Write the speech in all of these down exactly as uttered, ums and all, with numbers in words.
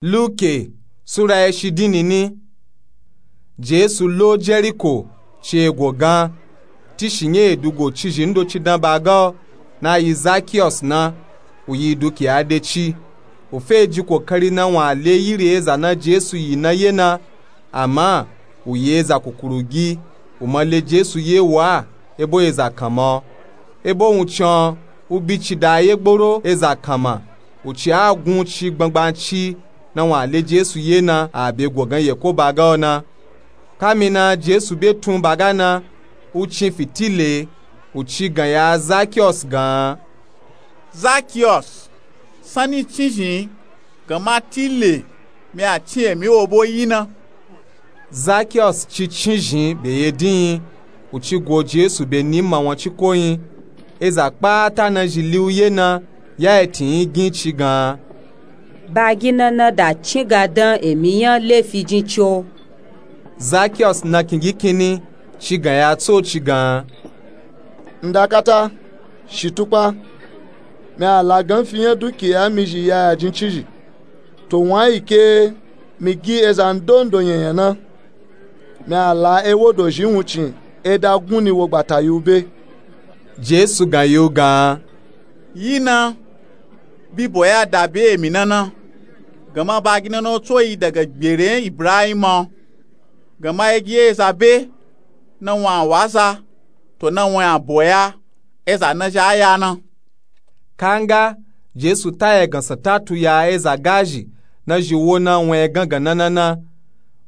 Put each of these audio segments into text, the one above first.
Luke sura ya shidin nini. Jesu lo jeriko ci ego gan. Tishi nye edugo cizhi ndoci dan baga o na yi zakiyos na. Uyi dukiya de ci. Ufe ji kokari na wun ale yiri eza na jesu yi na ye na. Ama uyi eza kukurugi. Umale jesu ye wa ebo eza kanma o. Ebo wun can ubi ci da ye gboro eza kanma. Uci a gun ci gbangbanci na wun ale jesu ye na a be go gan yeko baga o na. Kamina jesu be tun baga na. Uci fitile uci gan ya zakiyos gan. Zakiyos, sanni cinzhin gan ma tile mi a cin emi wo bo yi na. Zakiyos ci cinzhin be ye din. Uci go jesu be ni ma wun ci ko yin. Eza kpata na zhi liwu ye na ya etin yi gin ci gan. Bagi na na da cin ga dan emi nya lefi jin ci o. Zakiyos na kingi kinni ci gan ya tso ci gan. Ndakata shitukpa. Mi a la gan fi nya dukiya mi zhi ya ya jin cizhi. To wun a yi ke mi gi eza ndondo nyanya na. Mi a la ewo dozhi wun cin eda gun ni wo gbata yi u be. Jesu gan yi u gan. Yi na. Bibo ya da be emi na na. Gan ma bagi na na o tso yi daga gbere ibrahima o. Gan ma egi eza be na wun a wa za to na wun a bo ya. Eza na zhi a ya na. Kanga jesu ta egan santa tu ya eza gazhi na zhi wo na wun egan gan na na na.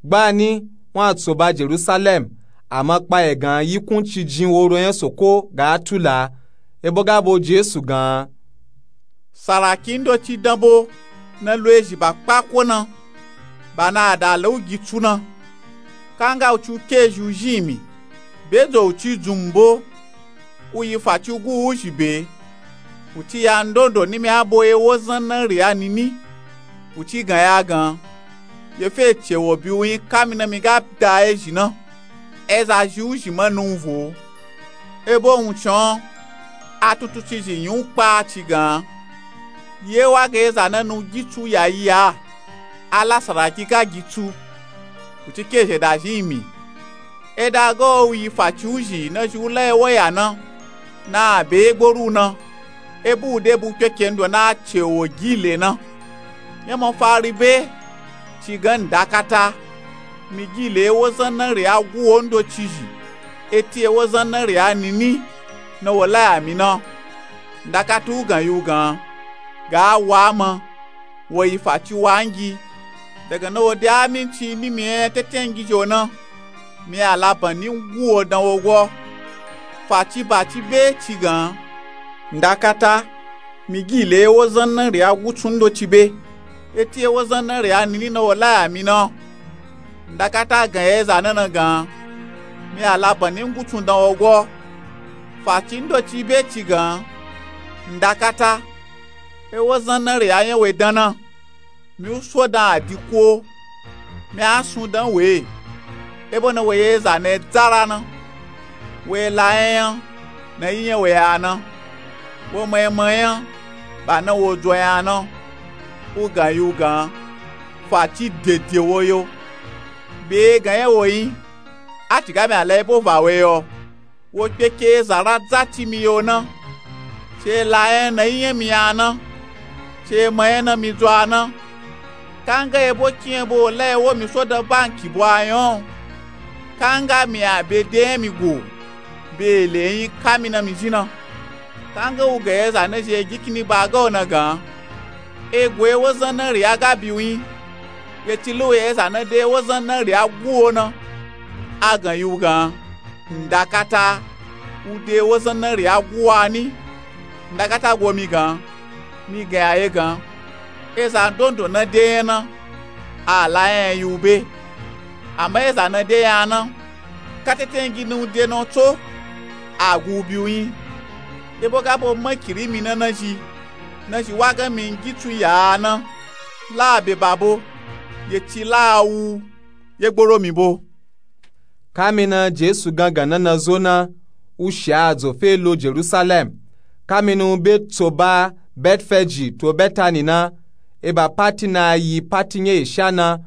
Gbani wun a tso ba jerusalem. Ama kpa egan yikun ci jin woro nya soko ga tula. Ebo ga bo jesu gan. Saraki ndoci dan bo na lo ezhi ba kpako na. Ba na a da la u gi tsu na. Kanga uci u ke ezhi u zhin mi. Be zo uci dzun mi bo. U yi faci u gu u zhi be. Uci ya ndondo ni mi a bo ewo zan na ri a nini. Uci gan ya gan. Ye fe ce wo bi u yin kamina mi ga da ezhi na. Eza zhi u zhi ma na u vo. Ebo wun can a tutu cizhi yin u kpa ci gan. Ye wa ga eza na na u gi tsu ya yi a. A la saraki ga gi tsu. Uci ke zhe da zhin mi. Eda ga o u yi faci u zhi na zhi u la ewo ya na. Na a be ye gboro u na. Ebo u de bu kpeke ndo na a ce wo gi le na. Nya mafari be ci gan ndakata. Mi gi le ewo zan na ri a gu wo ndoci zhi. Eti ewo zan na ri a nini na wo la ya mi na. Ndakata u gan yi u gan. Ga a wa ma. Wo yi faci wa ngi. Daga na wo de aminci ni mi nya tetengi zhi o na. Mi a la ban ni ngu wo dan wo gwo. Faci ba ci be ci gan. Ndakata. Mi gi le ewo zan na ri a gu tsu ndoci be. Eti ewo zan na ri a nini na wo la ya mi na. Ndakata gan ya eza na na gan. Mi a la ban ni ngu tsu dan wo gwo. Faci ndoci be ci gan. Ndakata. Ewo zan na ri a nya we dan na. Mi u so dan a di ko. Mi a sun dan we. Ebo na wo ye eza na e dzara na. Wo e la nya nya na yi nya we a na. Wo ma e ma nya ba na wo dzo nya na. U gan yi u gan. Faci dede wo yo. Be gan nya wo yin. A ci ga mi a la ebo va we yo. Wo kpeke eza ra dza ti mi yo na. Ci e la nya na yi nya mi a na. Ci e ma nya na mi dzo a na. Kanga ebo ki nya bo la ewo mi so dan banki bo a nya o. Kanga mi a be de nya mi go. Be le yin kamina mi zhi na. Kanga u ga eza na zhi e gi kini ba ga o na gan. Ego ewo zan na ri a ga bi u yin. Ye ci lu ye eza na de ewo zan na ri a gu o na. A gan yi u gan. Ndakata. U de ewo zan na ri a gu a ni. Ndakata go mi gan. Mi gan ya ye gan. Eza ndondo na de nya na. A la nya yi u be. Ama eza na de nya na. Ka tetengi na u de na u tso. A gu u bi u yin. Ebo ga bo ma kiri mi na na zhi. Na zhi wa ga mi ngi tsu ya a na. La a be ba bo. Ye ci la a wu. Ye gboro mi bo. Kamina jesu gangan na na zo na. U shi a dzo fe lo jerusalem. Kamina u be tso ba betfeji to betani na. Eba pati na yi pati nya esha na,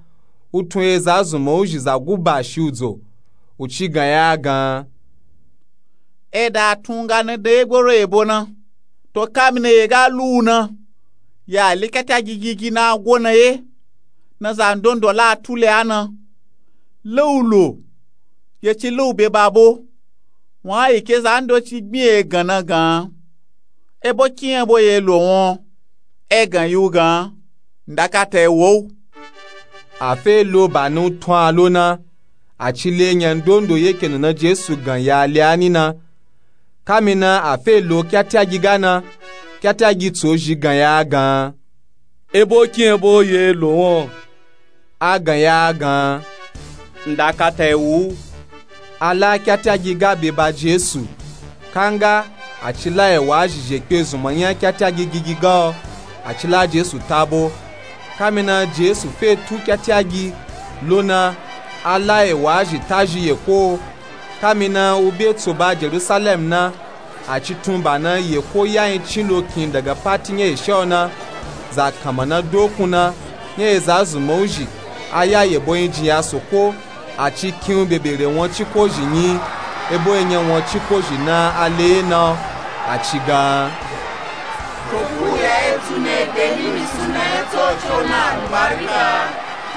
u tun eza zunmawuzhi za guba shi udzo, u ci gan ya a gan. Eda tun ga na dan egboro ebo na, to kamina ye ga lu u na, ya le kyatya gigigi na a gwo na ye, na zandondo la a tule a na, le u lo, ye ci le u be babo. Wun a yi ke zandoci gbin e gan na gan. Ebo kin ebo ye lo won, e gan yi u gan, ndakata e wo u. A fe lo ba ni u tun a lo na, a ci le nya ndondo ye ke nuna Jesu gan ya le a ni na. Kamina a fe lo kyatyagi ga na, kyatyagi tso zhi gan ya a gan. Ebo kin ebo ye lo won, a gan ya a gan. Ndakata e wu u. A la kyatyagi ga be ba Jesu. Kanga, a ci la ewa zhi zhe kpe zunmanya kyatyagi gigi ga o, a ci la Jesu tabo. Kamina Jesu fe tu kyatyagi lo na, a la ewa zhi ta zhi ye ko. Kamina u be tso ba Jerusalem na, a ci tun ba na ye ko ya yin cin lo kin daga pati nya esha o na, za kanma na dokun na, nya eza zunmawuzhi, a ya yebo yin jin ya soko, a ci kin u bebere won ciko zhi nyi, ebo enya won ciko zhi na a le ye na o, a ci gan. Soko ya e tsu na e be ni mi suna e tso tso na albarika,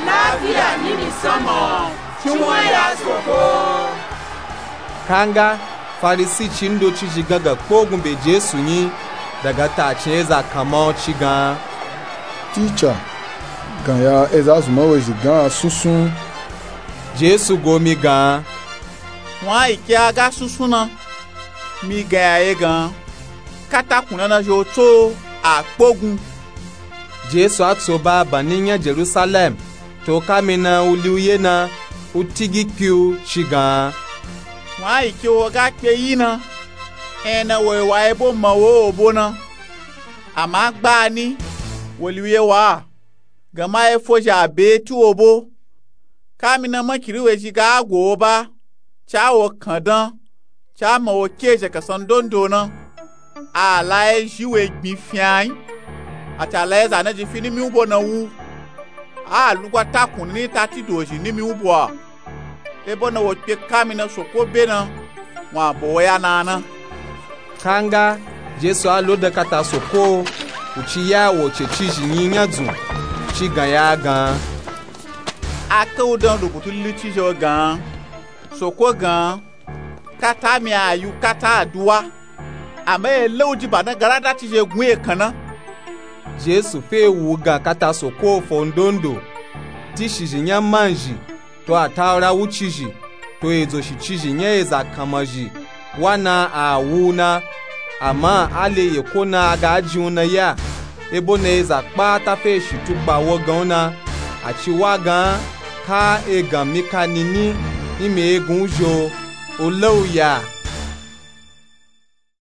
lafiya ni mi sama o, ci won ya soko. Kanga, Farisi ci ndoci zhi gangan kpogun be Jesu nyi, daga ta cin eza kanma o ci gan. Tica, gan ya eza zunmawuzhi gan a sunsun. Jesu go mi gan. Wun a yi ke a ga sunsun na, mi gan ya ye gan, katakun na na zhi o tso a kpogun. Jesu a tso ba ba ni nya Jerusalem, to kamina u li u ye na, u tigi kpi u ci gan. Wun a yi ke wo ga kpe yi na, ena wo yi wa ebo ma wo obo na. Ama gbani, wo li u ye wa, gan ma efo zhi a be ti wo bo. Kamina makiri we zhi ga go wo ba, ca wo kandan, ca ma wo ke zhe kasan dondo na. A la ye zhi we gbin fyan yi, a ca la ye za na ji fi nimi u bo na wu. A lugwa takun ni ta ti do zhi nimi u bo a. Ebo na wo kpe kamina soko be na, wun a bo wo ya na na. Kanga, Jesu a lo dan kata soko, u ci ya wo ce ci zhi nyi nya dzun, ci gan ya a gan. A ke u dan rubutu lili ci zhi o gan, soko gan, kata mi a yi u kata aduwa, ama e le u ji ba na garada ci zhi gun e kan na. Jesu fe wu u gan kata soko fo ndondo, ti shi zhi nya man zhi, to atawura wuci zhi, to edzo shi ci zhi nya eza kanma zhi, wa na a wu u na. Ama a le ye ko na a ga jin u na ya, ebo na eza kpata fe shi tukpa wo gan u na. A ci wa gan, ka egan mi ka nini, imi egun u zhi o, u le u ya.